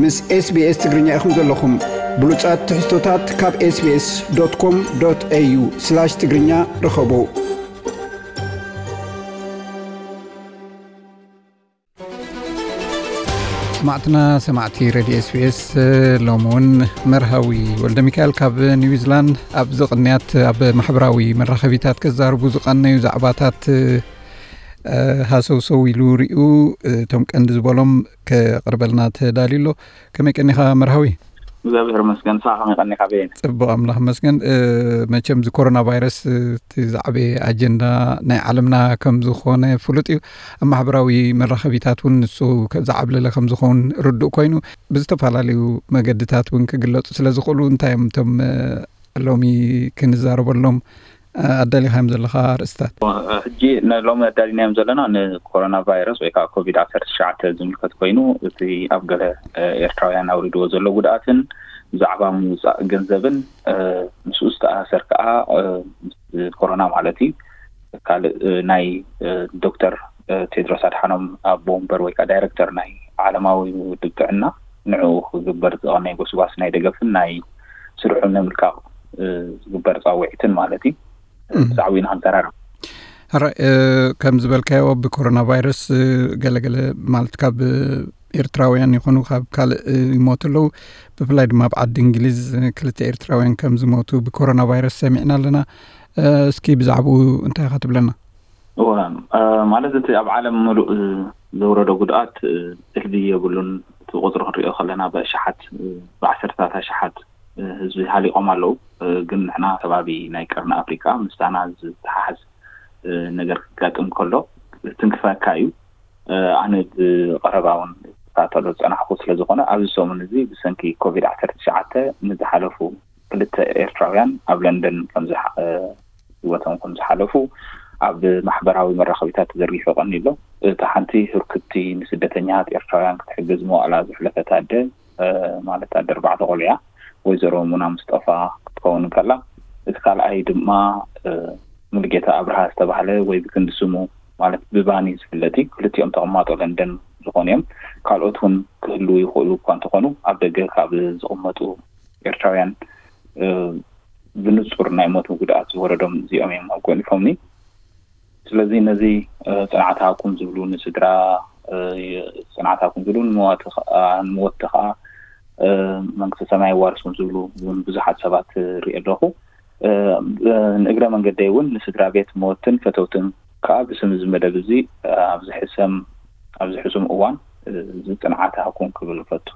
ምስ SBS ትግርኛ ኢኹም ዘለኹም። ብሉጻት ትሕዝቶታት ካብ SBS.com.au/ትግርኛ ርኸቡ። ሰማዕትና፣ ሰማዕቲ ሬድዮ SBS፣ ሎሚ እውን መርሃዊ ወልደ ሚካኤል ካብ ኒውዚላንድ ኣብ ዝቕንያት ኣብ ማሕበራዊ መራኸቢታት ከዛርቡ ዝቐነዩ ዛዕባታት ሃሰውሰው ኢሉ ሪኡ፣ እቶም ቀንዲ ዝበሎም ከቕርበልና ተዳልዩ ኣሎ። ከመይ ቀኒኻ መርሃዊ? እግዚኣብሔር ይመስገን። ንስኻ ከመይ ቀኒኻ በየነ? ጽቡቕ፣ ኣምላኽ ይመስገን። መቸም እዚ ኮሮና ቫይረስ እቲ ዝዓበየ ኣጀንዳ ናይ ዓለምና ከም ዝኾነ ፍሉጥ እዩ። ኣብ ማሕበራዊ መራኸቢታት እውን ንሱ ከ-፣ ዝዓብለለ ከም ዝኸውን ርዱእ ኮይኑ፣ ብዝተፈላለዩ መገድታት እውን ክግለጹ ስለ ዝኽእሉ፣ እንታይ እዮም እቶም ሎሚ ክንዛረበሎም ኣዳሊኻዮም ዘለኻ ኣርእስታት? ሕጂ ንሎሚ ኣዳሊናዮም ዘለና ንኮሮና ቫይረስ ወይ ከዓ ኮቪድ ዓሰርተ ትሽዓተ ዝምልከት ኮይኑ፣ እቲ ኣብ ገለ ኤርትራውያን ኣውሪድዎ ዘሎ ጉድኣትን ብዛዕባ ምውፃእ ገንዘብን ምስኡ ዝተኣሳሰር ከዓ፣ ምስ ኮሮና ማለት እዩ፣ ካልእ ናይ ዶክተር ቴድሮስ ኣድሓኖም ኣቦ ወንበር ወይ ከዓ ዳይሬክተር ናይ ዓለማዊ ውድብ ጥዕና፣ ንዕኡ ክግበር ዝቐነየ ጎስጓስ ናይ ደገፍን ናይ ስርሑ ንምልቃቕ ዝግበር ፃውዒትን ማለት እዩ። ብዛዕባኡ ኢና ክንተራረብ። ሕራይ፣ ከም ዝበልካዮ ብኮሮና ቫይረስ ገለገለ ማለት ካብ ኤርትራውያን ይኹኑ ካብ ካልእ ይሞቱ ኣለዉ። ብፍላይ ድማ ኣብ ዓዲ እንግሊዝ ክልተ ኤርትራውያን ከም ዝሞቱ ብኮሮና ቫይረስ ሰሚዕና ኣለና። እስኪ ብዛዕባኡ እንታይ ኢኻ ትብለና? እወ፣ ማለት እቲ ኣብ ዓለም ምሉእ ዘውረዶ ጉድኣት እልቢ የብሉን። እቲ ቁፅሪ ክንሪኦ ከለና ብኣሽሓት፣ ብዓሰርታት ኣሽሓት ህዝቢ ሃሊቖም ኣለዉ። ግን ንሕና ከባቢ ናይ ቀርኒ ኣፍሪቃ ምስታና ዝተሓሓዝ ነገር ክጋጥም ከሎ ትንክፈካ እዩ። ኣነ ብቐረባ እውን ዝከታተሎ ዝጸናሕኩ ስለ ዝኾነ፣ ኣብዚ ሰሙን እዚ ብሰንኪ ኮቪድ ዓሰርተ ትሽዓተ ንዝሓለፉ ክልተ ኤርትራውያን ኣብ ለንደን ከም ዝሓ-፣ ህይወቶም ከም ዝሓለፉ ኣብ ማሕበራዊ መራኸቢታት ተዘርጊሑ ቀኒሎ። እታ ሓንቲ ህርኩቲ ንስደተኛታት ኤርትራውያን ክትሕግዝ መዋእላ ዘሕለፈት ኣደ፣ ማለት ኣደ ኣርባዕተ ቆልዑ እያ፣ ወይዘሮ ሙና ምስጠፋ ክትከውን እንከላ፣ እቲ ካልኣይ ድማ ሙሉጌታ ኣብርሃ ዝተባህለ ወይ ብክንዲ ስሙ ማለት ብባኒ ዝፍለጥ እዩ። ክልቲኦም ተቐማጦ ለንደን ዝኾኑ እዮም። ካልኦት እውን ክህልዉ ይኽእሉ እኳ እንተኾኑ፣ ኣብ ደገ ካብ ዝቕመጡ ኤርትራውያን ብንጹር ናይ ሞት ጉድኣት ዝወረዶም እዚኦም እዮም ኣጎሊፎምኒ። ስለዚ ነዚ ጽንዓት ሃብኩም ዝብሉ ንስድራ፣ ጽንዓት ሃብኩም ዝብሉ ንመዋቲ ከኣ፣ ንመወቲ ከኣ መንግስተ ሰማይ የዋርስኩም ዝብሉ እውን ብዙሓት ሰባት ርኢ ኣለኹ። ንእግረ መንገደይ እውን ንስድራ ቤት መወትን ፈተውትን ከኣ ብስም እዚ መደብ እዚ ኣብዚ ሕሰም፣ ኣብዚ ሕሱም እዋን እዚ ጽንዓት ሃብኩም ክብል እፈቱ።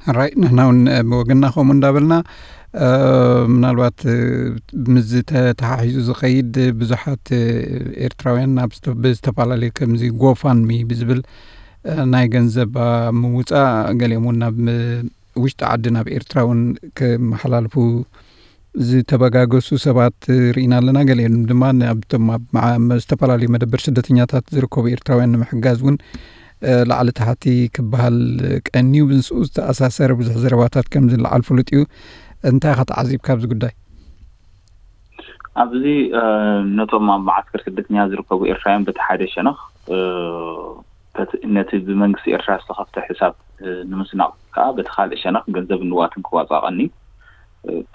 ሕራይ፣ ንሕና እውን ብወገንና ከምኡ እንዳበልና፣ ምናልባት ምስዚ ተተሓሒዙ ዝኸይድ ብዙሓት ኤርትራውያን ናብ ዝተ-፣ ብዝተፈላለዩ ከምዚ ጎፋንሚ ብዝብል ናይ ገንዘብ ምውፃእ፣ ገሊኦም እውን ናብ ውሽጢ ዓዲ ናብ ኤርትራ እውን ክመሓላልፉ ዝተበጋገሱ ሰባት ርኢና ኣለና። ገሊኦም ድማ ናብቶም ኣብ መዓ-፣ ዝተፈላለዩ መደበር ስደተኛታት ዝርከቡ ኤርትራውያን ንምሕጋዝ እውን ላዕሊ ታሕቲ ክበሃል ቀንዩ። ምስኡ ዝተኣሳሰረ ብዙሕ ዘረባታት ከም ዝለዓል ፍሉጥ እዩ። እንታይ ኢኻ ተዓዚብካ ኣብዚ ጉዳይ? ኣብዚ ነቶም ኣብ መዓስከር ስደተኛ ዝርከቡ ኤርትራውያን በቲ ሓደ ሸነኽ፣ በቲ፣ ነቲ ብመንግስቲ ኤርትራ ዝተኸፍተ ሕሳብ ንምስናቕ ከኣ በቲ ካልእ ሸነኽ ገንዘብ ንዋትን ክዋጻእ ቀንዩ።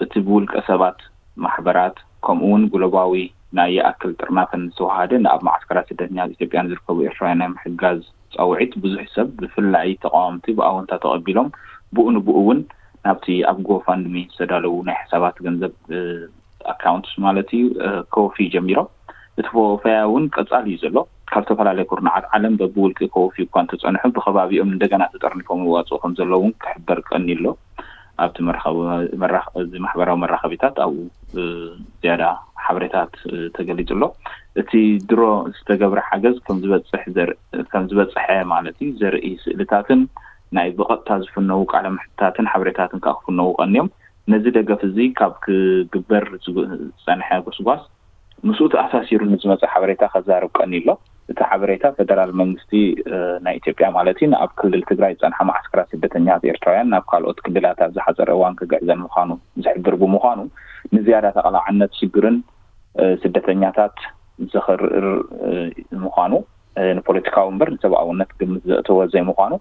እቲ ብውልቀ ሰባት፣ ማሕበራት፣ ከምኡ እውን ግሎባዊ ናይ ይኣክል ጥርናፈን ዝተዋሃደ ንኣብ መዓስከራት ስደተኛታት ኢትዮጵያን ዝርከቡ ኤርትራውያን ናይ ምሕጋዝ ጻውዒት ብዙሕ ሰብ ብፍላይ ተቃወምቲ ብኣወንታ ተቐቢሎም ብኡ ንብኡ እውን ናብቲ ኣብ ጎፋንድሚ ዝተዳለዉ ናይ ሕሳባት ገንዘብ ኣካውንትስ ማለት እዩ፣ ከወፊ ጀሚሮም። እቲ ወፈያ እውን ቀጻሊ እዩ ዘሎ። ካብ ዝተፈላለዩ ኩርናዓት ዓለም በብውልቂ ከወፊ እኳ እንተጸንሑ ብከባቢኦም እንደገና ተጠርኒፎም ይዋፅኡ ከም ዘለዉ እውን ክሕበር ቀኒ ኣሎ። ኣብቲ መራኸቢ-፣ መራኸ-፣ እዚ ማሕበራዊ መራኸቢታት ኣብኡ ዝያዳ ሓበሬታት ተገሊጹ ኣሎ። እቲ ድሮ ዝተገብረ ሓገዝ ከም ዝበጽሕ ዘር-፣ ከም ዝበጽሐ ማለት እዩ ዘርኢ ስእልታትን ናይ ብቐጥታ ዝፍነዉ ቃለ መሕትታትን ሓበሬታትን ከኣ ክፍነዉ ቀንዮም። ነዚ ደገፍ እዚ ካብ ክግበር ዝጸንሐ ጎስጓስ ምስኡ ተኣሳሲሩ ንዝመጸ ሓበሬታ ከዛርብ ቀንዩ ኣሎ። እቲ ሓበሬታ ፈደራል መንግስቲ ናይ ኢትዮጵያ ማለት እዩ ንኣብ ክልል ትግራይ ዝጸንሓ መዓስከራት ስደተኛታት ኤርትራውያን ናብ ካልኦት ክልላት ኣብ ዝሓጸረ እዋን ክግዕዘን ምዃኑ ዝሕብር ብምዃኑ ንዝያዳ ተቓላዕነት ሽግርን ስደተኛታት ዘኽርር ምዃኑ፣ ንፖለቲካዊ እምበር ንሰብኣውነት ግምት ዘእተወ ዘይምዃኑ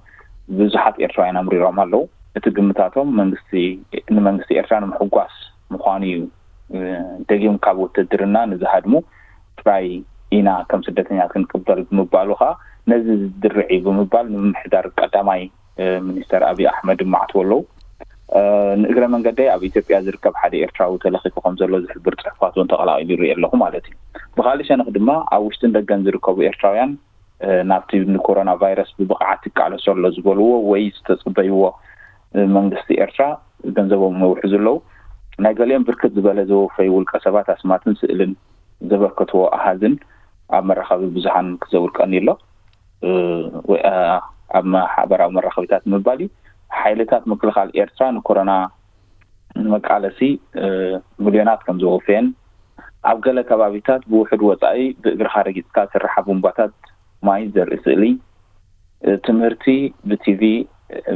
ብዙሓት ኤርትራውያን ኣምሪሮም ኣለዉ። እቲ ግምታቶም መንግስቲ ንመንግስቲ ኤርትራ ንምሕጓስ ምዃኑ እዩ። ደጊም ካብ ውትድርና ንዝሃድሙ ጥራይ ኢና ከም ስደተኛ ክንቅበል ብምባሉ ከዓ ነዚ ዝድርዕ እዩ ብምባል ንምምሕዳር ቀዳማይ ሚኒስተር ኣብይ ኣሕመድ ይማዕትዎ ኣለዉ። ንእግረ መንገደይ ኣብ ኢትዮጵያ ዝርከብ ሓደ ኤርትራዊ ተለኺፉ ከም ዘሎ ዝሕብር ጽሑፋት እውን ተቐላቒሉ ይርኢ ኣለኹ ማለት እዩ። ብኻልእ ሸነኽ ድማ ኣብ ውሽጥን ደገን ዝርከቡ ኤርትራውያን ናብቲ ንኮሮና ቫይረስ ብብቕዓት ይቃለሶ ኣሎ ዝበልዎ ወይ ዝተጽበይዎ መንግስቲ ኤርትራ ገንዘቦም መውሕዙ ኣለዉ። ናይ ገሊኦም ብርክት ዝበለ ዘወፈዩ ውልቀ ሰባት ኣስማትን ስእልን ዘበርከትዎ ኣሃዝን ኣብ መራኸቢ ብዙሃን ክዘውር ቀኒ ኣሎ። ኣብ ማሕበራዊ መራኸቢታት ምባል እዩ። ሓይልታት ምክልኻል ኤርትራ ንኮሮና ንመቃለሲ ሚልዮናት ከም ዘወፈየን ኣብ ገለ ከባቢታት ብውሕድ ወፃኢ ብእግርኻ ረጊፅካ ዝስርሓ ቡምባታት ማይ ዘርኢ ስእሊ፣ ትምህርቲ ብቲቪ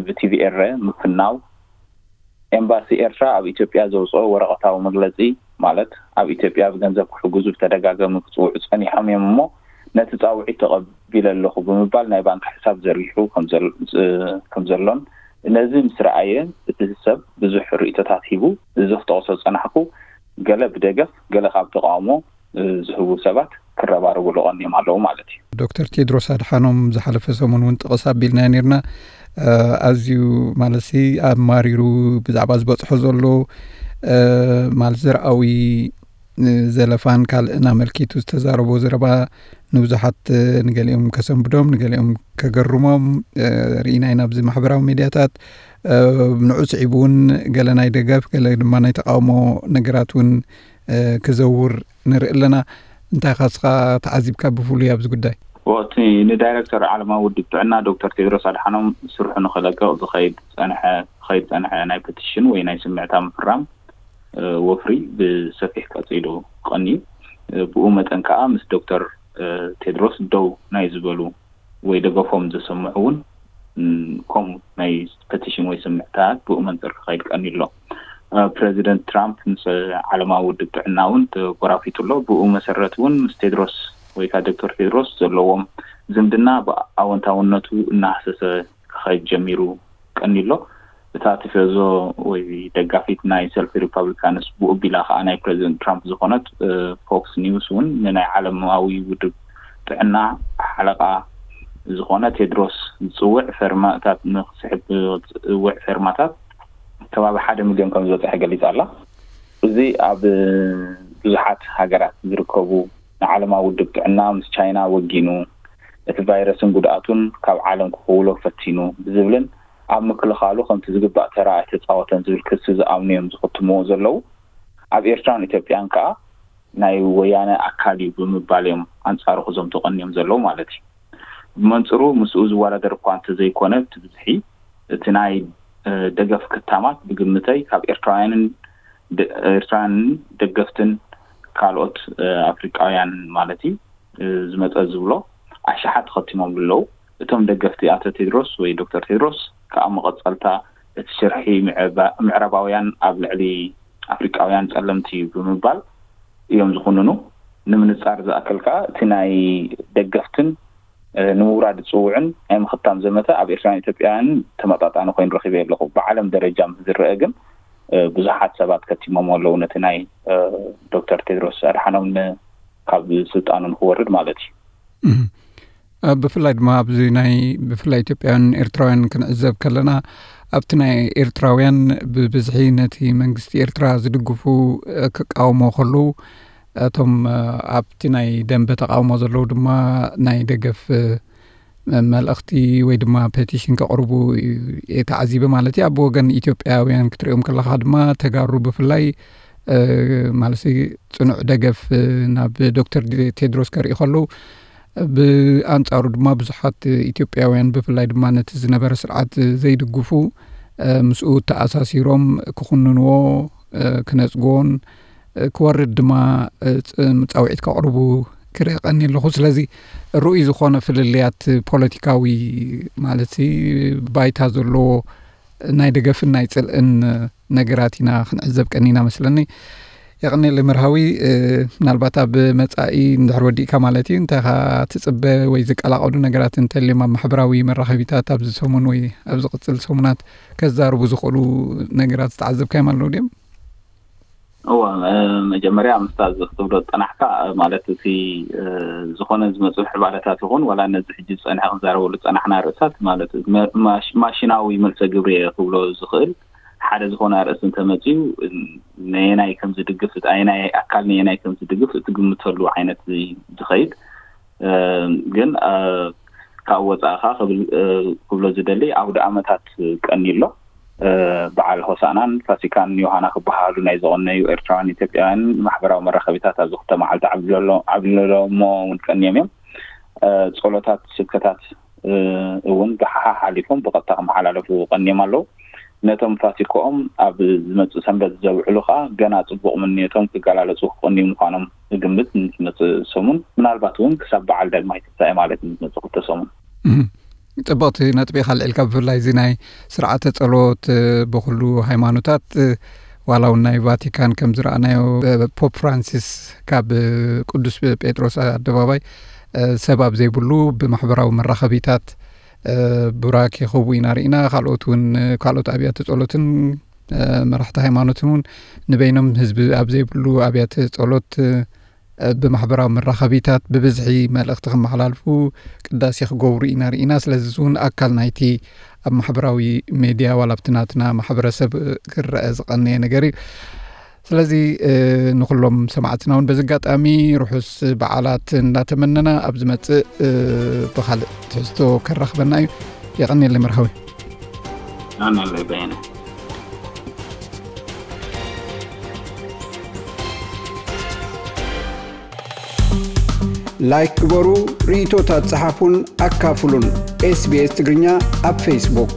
ብቲቪ ኤረ ምፍናው፣ ኤምባሲ ኤርትራ ኣብ ኢትዮጵያ ዘውፅኦ ወረቐታዊ መግለፂ ማለት ኣብ ኢትዮጵያ ብገንዘብ ክሕግዙ ብተደጋጋሚ ክፅውዑ ፀኒሖም እዮም እሞ ነቲ ፃውዒት ተቐቢለ ኣለኹ ብምባል ናይ ባንክ ሕሳብ ዘርጊሑ ከም ዘሎን ነዚ ምስ ረኣየ እቲ ሰብ ብዙሕ ርእይቶታት ሂቡ። እዚ ክጠቕሶ ዝፀናሕኩ ገለ ብደገፍ ገለ ካብ ተቃውሞ ዝህቡ ሰባት ክረባረቡ ለቐንዮም ኣለዉ ማለት እዩ። ዶክተር ቴድሮስ ኣድሓኖም ዝሓለፈ ሰሙን እውን ጥቕስ ኣቢልና ነርና። ኣዝዩ ማለት ኣማሪሩ ብዛዕባ ዝበፅሖ ዘሎ ማለት ዘርኣዊ ዘለፋን ካልእን ኣመልኪቱ ዝተዛረቦ ዘረባ ንብዙሓት ንገሊኦም ከሰንብዶም ንገሊኦም ከገርሞም ርኢና ኢና ኣብዚ ማሕበራዊ ሚድያታት። ንዑ ስዒቡ እውን ገለ ናይ ደገፍ ገለ ድማ ናይ ተቃውሞ ነገራት እውን ክዘውር ንርኢ ኣለና። እንታይ ኢኻ ንስኻ ተዓዚብካ ብፍሉይ ኣብዚ ጉዳይ? እቲ ንዳይረክተር ዓለማዊ ውድብ ጥዕና ዶክተር ቴድሮስ ኣድሓኖም ስርሑ ንክለቅቕ ዝኸይድ ዝኸይድ ዝፀንሐ ናይ ፐቲሽን ወይ ናይ ስምዕታ ምፍራም ወፍሪ ብሰፊሕ ቀፂሉ ቀንዩ። ብኡ መጠን ከዓ ምስ ዶክተር ቴድሮስ ደው ናይ ዝበሉ ወይ ደገፎም ዘሰምዑ እውን ከምኡ ናይ ፐቲሽን ወይ ስምዕታት ብኡ መንፅር ክኸይድ ቀንዩ ኣሎ። ፕረዚደንት ትራምፕ ምስ ዓለማዊ ውድብ ጥዕና እውን ተጎራፊቱ ኣሎ። ብኡ መሰረት እውን ምስ ቴድሮስ ወይ ከዓ ዶክተር ቴድሮስ ዘለዎም ዝምድና ብኣወንታውነቱ እናሃሰሰ ክኸይድ ጀሚሩ ቀንዩ ኣሎ። እታ ቲፈዞ ወይ ደጋፊት ናይ ሰልፊ ሪፓብሊካንስ ብኡ ቢላ ከዓ ናይ ፕረዚደንት ትራምፕ ዝኾነት ፎክስ ኒውስ እውን ንናይ ዓለማዊ ውድብ ጥዕና ሓለቓ ዝኾነ ቴድሮስ ዝፅውዕ ፈርማታት ንክስሕብ ዝፅውዕ ፈርማታት ከባቢ ሓደ ሚልዮን ከም ዝበፅሐ ገሊፃ ኣላ። እዚ ኣብ ብዙሓት ሃገራት ዝርከቡ ንዓለማዊ ውድብ ጥዕና ምስ ቻይና ወጊኑ እቲ ቫይረስን ጉድኣቱን ካብ ዓለም ክኽውሎ ፈቲኑ ብዝብልን ኣብ ምክልኻሉ ከምቲ ዝግባእ ተራ ኣይተፃወተን ዝብል ክሲ ዝኣምኑ እዮም ዝኽትምዎ ዘለዉ። ኣብ ኤርትራን ኢትዮጵያን ከዓ ናይ ወያነ ኣካል እዩ ብምባል እዮም ኣንፃሩ ክዘምቱ ቀንዮም ዘለዉ ማለት እዩ። ብመንፅሩ ምስኡ ዝወዳደር እኳ እንተዘይኮነ እቲ ብዝሒ እቲ ናይ ደገፍ ክታማት ብግምተይ ካብ ኤርትራውያንን ኤርትራውያንን ደገፍትን ካልኦት ኣፍሪቃውያን ማለት እዩ ዝመፀ ዝብሎ ኣሽሓት ተኸቲሞም ኣለዉ። እቶም ደገፍቲ ኣቶ ቴድሮስ ወይ ዶክተር ቴድሮስ ከዓ መቐፀልታ እቲ ሽርሒ ምዕራባውያን ኣብ ልዕሊ ኣፍሪቃውያን ፀለምቲ እዩ ብምባል እዮም ዝኹንኑ። ንምንፃር ዝኣክል ከዓ እቲ ናይ ደገፍትን ንምውራድ ዝፅውዕን ናይ ምኽታም ዘመተ ኣብ ኤርትራን ኢትዮጵያን ተመጣጣኒ ኮይኑ ረኺበ ኣለኹ። ብዓለም ደረጃ ምስ ዝረአ ግን ብዙሓት ሰባት ከቲሞም ኣለዉ ነቲ ናይ ዶክተር ቴድሮስ ኣድሓኖም ካብ ስልጣኑ ንክወርድ ማለት እዩ። ብፍላይ ድማ ኣብዚ ናይ ብፍላይ ኢትዮጵያውያን ኤርትራውያን ክንዕዘብ ከለና ኣብቲ ናይ ኤርትራውያን ብብዝሒ ነቲ መንግስቲ ኤርትራ ዝድግፉ ክቃወሞ ከለዉ እቶም ኣብቲ ናይ ደንበ ተቃውሞ ዘለዉ ድማ ናይ ደገፍ መልእኽቲ ወይ ድማ ፔቲሽን ከቕርቡ ተዓዚበ ማለት እዩ። ኣብ ወገን ኢትዮጵያውያን ክትሪኦም ከለኻ ድማ ተጋሩ ብፍላይ ማለት ጽኑዕ ደገፍ ናብ ዶክተር ቴድሮስ ከርኢ ከለዉ ብኣንጻሩ ድማ ብዙሓት ኢትዮጵያውያን ብፍላይ ድማ ነቲ ዝነበረ ስርዓት ዘይድግፉ ምስኡ ተኣሳሲሮም ክኹንንዎ ክነጽግዎን ክወርድ ድማ ጻውዒት ከቕርቡ ክርኢ ቀኒ ኣለኹ። ስለዚ ርኡይ ዝኾነ ፍልልያት ፖለቲካዊ ማለት ባይታ ዘለዎ ናይ ደገፍን ናይ ጽልእን ነገራት ኢና ክንዕዘብ ቀኒና መስለኒ። የቐኔለይ መርሃዊ። ምናልባት ኣብ መጻኢ እንድሕር ወዲእካ ማለት እዩ፣ እንታይ ኢኻ ትጽበ ወይ ዝቀላቐሉ ነገራት እንተልዮም ኣብ ማሕበራዊ መራኸቢታት ኣብዚ ሰሙን ወይ ኣብ ዝቕጽል ሰሙናት ከዛርቡ ዝኽእሉ ነገራት ዝተዓዘብካዮም ኣለዉ ድዮም? እወ፣ መጀመርያ ምስታ እዚ ክትብሎ ዝጸናሕካ፣ ማለት እቲ ዝኾነ ዝመፁ ሕባለታት ይኹን ዋላ ነዚ ሕጂ ዝጸንሐ ክንዛረበሉ ዝጸናሕና ርእሳት ማለት ማሽናዊ መልሰ ግብሪ እየ ክብሎ ዝኽእል ሓደ ዝኾነ ኣርእስቲ እንተመፅኡ ነየናይ ከም ዝድግፍ፣ ኣየናይ ኣካል ነየናይ ከም ዝድግፍ እትግምተሉ ዓይነት ዝኸይድ፣ ግን ካብ ወፃእኻ ክብል ክብሎ ዝደሊ ኣውደ ኣመታት ቀኒ ኣሎ። በዓል ሆሳናን ፋሲካን ዮሃና ክበሃሉ ናይ ዘቐነዩ ኤርትራውያን ኢትዮጵያውያን ማሕበራዊ መራኸቢታት ኣብዚ ክልተ መዓልቲ ዓብሊሎሞ እውን ቀንዮም እዮም። ጸሎታት፣ ስብከታት እውን ብሓሓ ሓሊፎም ብቐጥታ ክመሓላለፉ ቀንዮም ኣለዉ። ነቶም ፋሲኮኦም ኣብ ዝመጽእ ሰንበት ዘብዕሉ ከኣ ገና ጽቡቕ ምንየቶም ክገላለጹ ክቐንዩ ምዃኖም እግምት። ንዝመጽእ ሰሙን ምናልባት እውን ክሳብ በዓል ዳግማይ ትንሳኤ ማለት ንዝመጽእ ክልተ ሰሙን። ጽቡቕቲ ነጥቢ ኢኻ ኣልዒልካ። ብፍላይ እዚ ናይ ስርዓተ ጸሎት ብኩሉ ሃይማኖታት ዋላ እውን ናይ ቫቲካን ከም ዝረኣናዮ ፖፕ ፍራንሲስ ካብ ቅዱስ ጴጥሮስ ኣደባባይ ሰብ ኣብ ዘይብሉ ብማሕበራዊ መራኸቢታት ቡራኬ ክህቡ ኢና ርኢና። ካልኦት እውን ካልኦት ኣብያተ ጸሎትን መራሕቲ ሃይማኖትን እውን ንበይኖም ህዝቢ ኣብ ዘይብሉ ኣብያተ ጸሎት ብማሕበራዊ መራኸቢታት ብብዝሒ መልእኽቲ ክመሓላልፉ ቅዳሴ ክገብሩ ኢና ርኢና። ስለዚ እዚ እውን ኣካል ናይቲ ኣብ ማሕበራዊ ሜድያ ዋላ ኣብቲ ናትና ማሕበረሰብ ክረአ ዝቐነየ ነገር እዩ። ስለዚ ንኩሎም ሰማዕትና እውን በዚ ኣጋጣሚ ርሑስ በዓላት እንዳተመነና ኣብ ዝመጽእ ብኻልእ ትሕዝቶ ከራኽበና እዩ። የቐንየለይ መርሃዊ። ኣነለይ በየነ። ላይክ ግበሩ፣ ርእይቶታት ጸሓፉን ኣካፍሉን። ኤስቢኤስ ትግርኛ ኣብ ፌስቡክ።